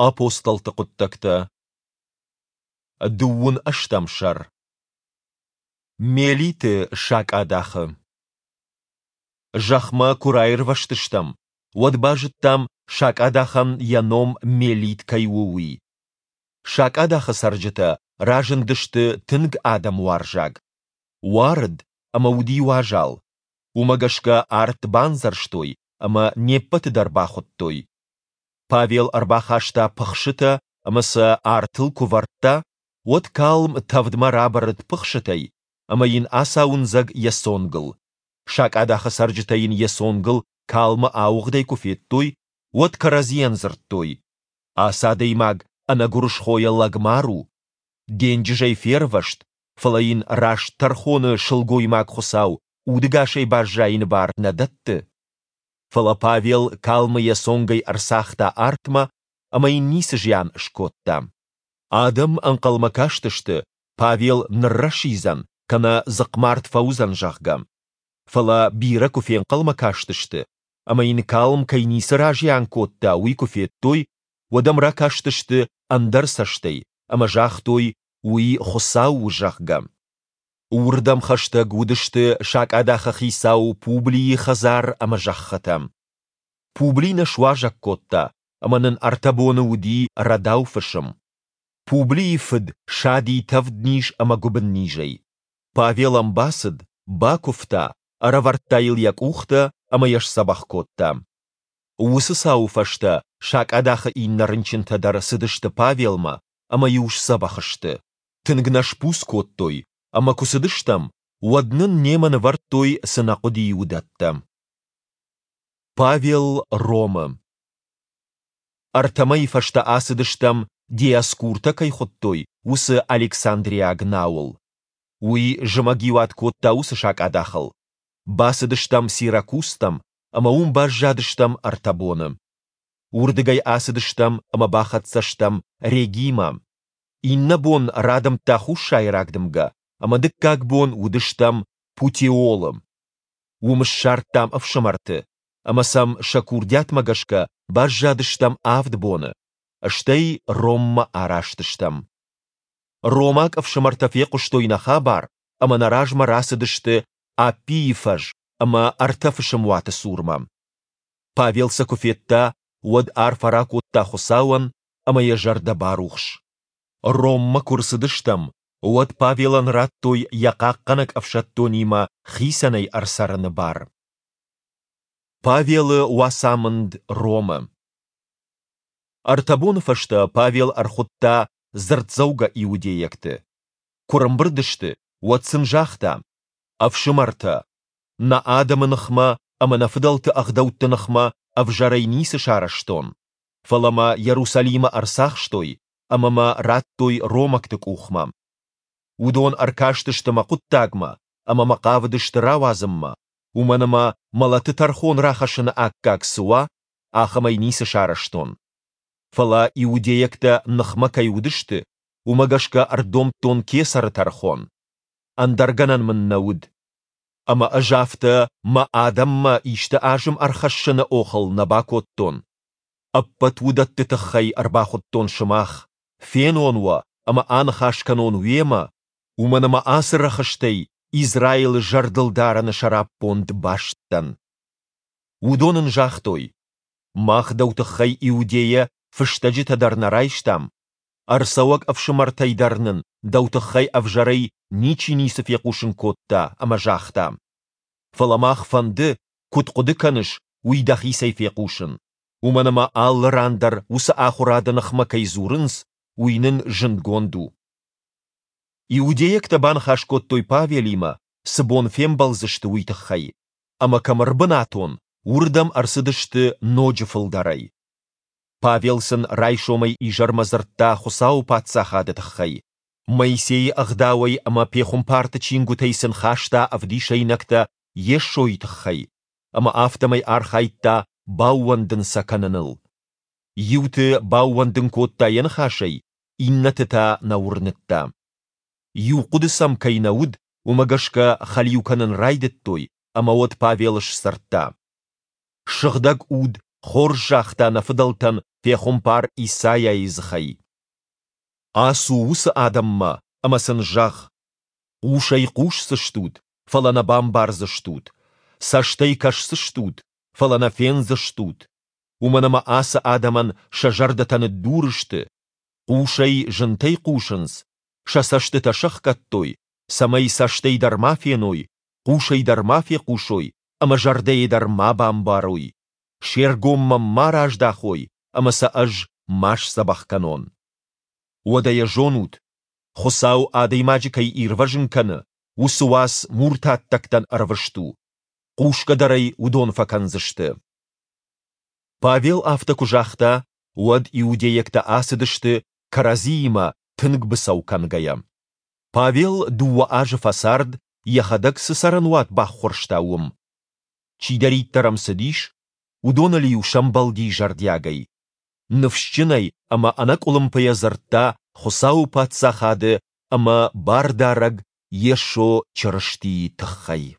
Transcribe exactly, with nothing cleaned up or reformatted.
Апостолты хъуыддӕгтӕ, дыууын ӕстӕм сӕр. Мелиты сакъадахы. Зӕхмӕ куы раирвӕзтыстӕм, уӕд базыдтам, сакъадахӕн йӕ ном Мелит кӕй у, уый. Сакъадахы цӕрджытӕ разындысты тынг адӕмуарзаг. Уарыд ӕмӕ уыди уазал. Уымӕ гӕсгӕ арт бандзӕрстой ӕмӕ не ппӕты дӕр бахуыдтой. Павел ӕрбахаста пыхсытӕ ӕмӕ сӕ артыл куы вӕрдта, уӕд калм тӕвдмӕ рабырыд пыхсытӕй ӕмӕ йын ацауындзӕг йӕ цонгыл. Сакъадахы цӕрджытӕ йын йӕ цонгыл калмы ауыгъдӕй куы федтой, уӕд кӕрӕдзийӕн дзырдтой: Ацы адӕймаг ӕнӕгуырысхойӕ лӕгмар у. Денджызӕй фервӕзт, фӕлӕ йын раст тӕрхоны сылгоймаг-хуыцау удӕгасӕй баззайыны бар нӕ дӕтты. Фӕлӕ Павел калмы йӕ цонгӕй ӕрцагъта артмӕ ӕмӕ йын ницы зиан скодта. Адӕм ӕнхъӕлмӕ кастысты, Павел ныррӕсидзӕн кӕнӕ дзыхъмард фӕуыдзӕн, зӕгъгӕ. Фӕлӕ бирӕ куы фенхъӕлмӕ кастысты, ӕмӕ йын калм кӕй ницы разиан кодта, уый куы федтой, уӕд ӕм ракастысты ӕндӕр цӕстӕй ӕмӕ загътой, уый Хуыцау у, зӕгъгӕ. Уырдӕм хӕстӕг уыдысты сакъадахы хицау Публийы хӕдзар ӕмӕ зӕххытӕ. Публи нӕ суазӕг кодта, ӕмӕ нын ӕртӕ боны уыди рӕдау фысым. Публийы фыд сади тӕвдниз ӕмӕ гуыбыннизӕй. Павел ӕм бацыд, бакуывта, ӕрӕвӕрдта йыл йӕ къухтӕ ӕмӕ йӕ сдзӕбӕх кодта. Уыцы цауы фӕстӕ сакъадахы иннӕ рынчынтӕ дӕр цыдысты Павелмӕ ӕмӕ-иу сдзӕбӕх сты. Тынг нӕ сбуц кодтой, ӕмӕ куы цыдыстӕм, уӕд нын немӕ нывӕрдтой, цы нӕ хъуыди, уыдӕттӕ. Павел Ромы. Ӕртӕ мӕйы фӕстӕ ацыдыстӕм, Диоскуртӕ кӕй хуыдтой, уыцы Александриаг науыл. Уый зымӕгиуат кодта уыцы сакъадахыл. Бацыдыстӕм Сиракузтӕм ӕмӕ уым баззадыстӕм ӕртӕ боны. Уырдыгӕй ацыдыстӕм ӕмӕ бахӕццӕ стӕм Регимӕ. Иннӕ бон радымдта хуссайраг дымгӕ, ӕмӕ дыккаг бон уыдыстӕм Путеолы. Уым ссардтам ӕфсымӕрты, ӕмӕ сӕм сӕ курдиатмӕ гӕсгӕ баззадыстӕм авд боны, стӕй Роммӕ араст стӕм. Ромаг ӕфсымӕртӕ фехъуыстой нӕ хабар ӕмӕ нӕ размӕ рацыдысты Аппийы фӕз ӕмӕ ӕртӕ фысымуаты цурмӕ. Павел сӕ куы федта, уӕд арфӕ ракодта Хуыцауӕн ӕмӕ йӕ зӕрдӕ барухс. Роммӕ куы рцыдыстӕм, уӕд Павелӕн радтой йӕ хъахъхъӕнӕг ӕфсӕддонимӕ хицӕнӕй ӕрцӕрыны бар. Павелы уацамынд Ромы. Ӕртӕ боны фӕстӕ Павел ӕрхуыдта дзырддзӕугӕ иудейӕгты. Куы рымбырд сты, уӕд сын загъта: Ӕфсымӕртӕ, нӕ адӕмы ныхмӕ ӕмӕ нӕ фыдӕлты ӕгъдӕутты ныхмӕ ӕвзӕрӕй ницы сарӕзтон, фӕлӕ мӕ Иерусалимы ӕрцахстой ӕмӕ мӕ радтой ромӕгты къухмӕ. Уыдон ӕркастысты мӕ хъуыддагмӕ ӕмӕ мӕ хъавыдысты рауадзынмӕ, уымӕн ӕмӕ мӕлӕты тӕрхон рахӕссыны аккаг цы уа, ахӕмӕй ницы сарӕзтон. Фӕлӕ иудейӕгтӕ ныхмӕ кӕй уыдысты, уымӕ гӕсгӕ ӕрдомдтон кесӕры тӕрхон. Ӕндӕр гӕнӕн мын нӕ уыд. Ӕмӕ ӕз афтӕ мӕ адӕммӕ исты азым ӕрхӕссыны охыл нӕ бакодтон. Ӕппӕт уыдӕтты тыххӕй ӕрбахуыдтон сымах, фенон уӕ ӕмӕ аныхас кӕнон уемӕ, уымӕн ӕмӕ ацы рӕхыстӕй Израилы зӕрдылдарыны сӕраппонд баст дӕн. Уыдон ын загътой: Мах дӕу тыххӕй Иудейӕ фыстӕджытӕ дӕр нӕ райстам, ӕрцӕуӕг ӕфсымӕртӕй дӕр нын дӕу тыххӕй ӕвзӕрӕй ничи ницы фехъусын кодта ӕмӕ загъта. Фӕлӕ мах фӕнды, куыд хъуыды кӕныс, уый дӕхицӕй фехъусын, уымӕн ӕмӕ алы ран дӕр уыцы ахуырады ныхмӕ кӕй дзурынц, уый нын зындгонд у. Иудейӕгтӕ баныхас кодтой Павелимӕ, цы бон фембӕлдзысты, уый тыххӕй, ӕмӕ кӕм ӕрбынатон, уырдӕм ӕрцыдысты ноджы фылдӕрӕй. Павел сын райсомӕй изӕрмӕ дзырдта Хуыцауы паддзахады тыххӕй, Моисейы ӕгъдауӕй ӕмӕ пехуымпарты чингуытӕй сын хаста ӕвдисӕйнӕгтӕ Йесойы тыххӕй, ӕмӕ афтӕмӕй архайдта баууӕндын сӕ кӕныныл. Иуты баууӕндын кодта йӕ ныхасӕй, иннӕты та нӕ уырныдта. Иу хъуыды сӕм кӕй нӕ уыд, уымӕ гӕсгӕ хӕлиу кӕнын райдыдтой, ӕмӕ уӕд Павел сдзырдта: Сыгъдӕг Уд хорз загъта нӕ фыдӕлтӕн пехуымпар Исайайы дзыхӕй. Ацу уыцы адӕммӕ ӕмӕ сын зӕгъ, Хъусӕй хъусдзыстут, фӕлӕ нӕ бамбардзыстут, цӕстӕй кӕсдзыстут, фӕлӕ нӕ фендзыстут. Уымӕн ӕмӕ ацы адӕмӕн сӕ зӕрдӕтӕ ныддур сты, хъусӕй зынтӕй хъусынц, сӕ цӕстытӕ сӕхгӕдтой, цӕмӕй цӕстӕй дӕр ма феной, хъусӕй дӕр ма фехъусой ӕмӕ зӕрдӕйӕ дӕр ма бамбарой, се ргом мӕм ма раздахой ӕмӕ сӕ ӕз ма сдзӕбӕх кӕнон. Уӕдӕ йӕ зонут, Хуыцау адӕймаджы кӕй ирвӕзын кӕны, уыцы уац муртаттӕгтӕн ӕрвыст у, хъусгӕ дӕр ӕй уыдон фӕкӕндзысты. Павел афтӕ куы загъта, уӕд иудейӕгтӕ ацыдысты, кӕрӕдзиимӕ тынг быцӕу кӕнгӕйӕ. Павел дыууӕ азы фӕцард, йӕхӕдӕг цы цӕрӕнуат баххуырста, уым. Чидӕриддӕр ӕм цыдис, уыдоныл-иу сӕмбӕлди зӕрдиагӕй. Ныфсджынӕй ӕмӕ ӕнӕкъуылымпыйӕ дзырдта Хуыцауы Паддзахады ӕмӕ Бардарӕг Йесо Чырыстийы тыххӕй.